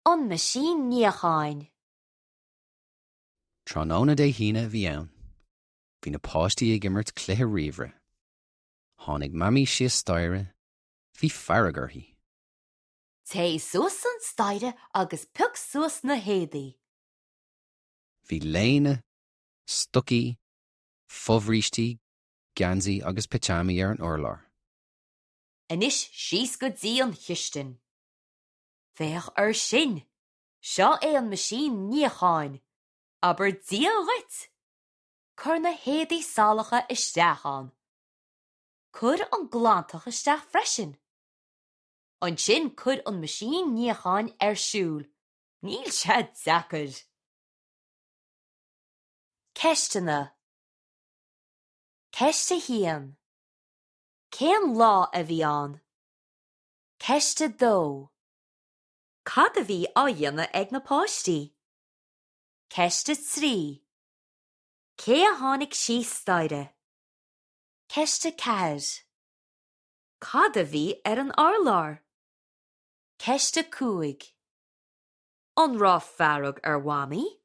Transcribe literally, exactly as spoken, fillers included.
An meaisín níocháin. Tráthnóna Dé hAoine a bhí ann. Bhí na páistí ag imirt cluiche ríomhaire. Tháinig Mamaí síos staighre, bhí fearg uirthi. Téigh suas an staighre agus pioc suas na héadaí. Bhí léine, stocaí, fobhrístí, geansaí agus pitseámaí ar an urlár. Anois síos go dtí an chistin. Féach air sin, Seo é an meaisín níocháin, Abair Dia dhuit! Cuir na héadaí salacha isteach ann. Cuir an glantach isteach freisin. Ansin cuir an meaisín níocháin ar siúl, Níl sé deacair. Ceisteanna Ceist a haon. Cén lá a bhí ann? Ceist a dó. Cad a bhí á dhéanamh ag na páistí? Ceist a trí. Cé a tháinig síos staighre? Ceist a ceathair. Cad a bhí ar an urlár? Ceist a cúig. An raibh fearg ar Mhamaí?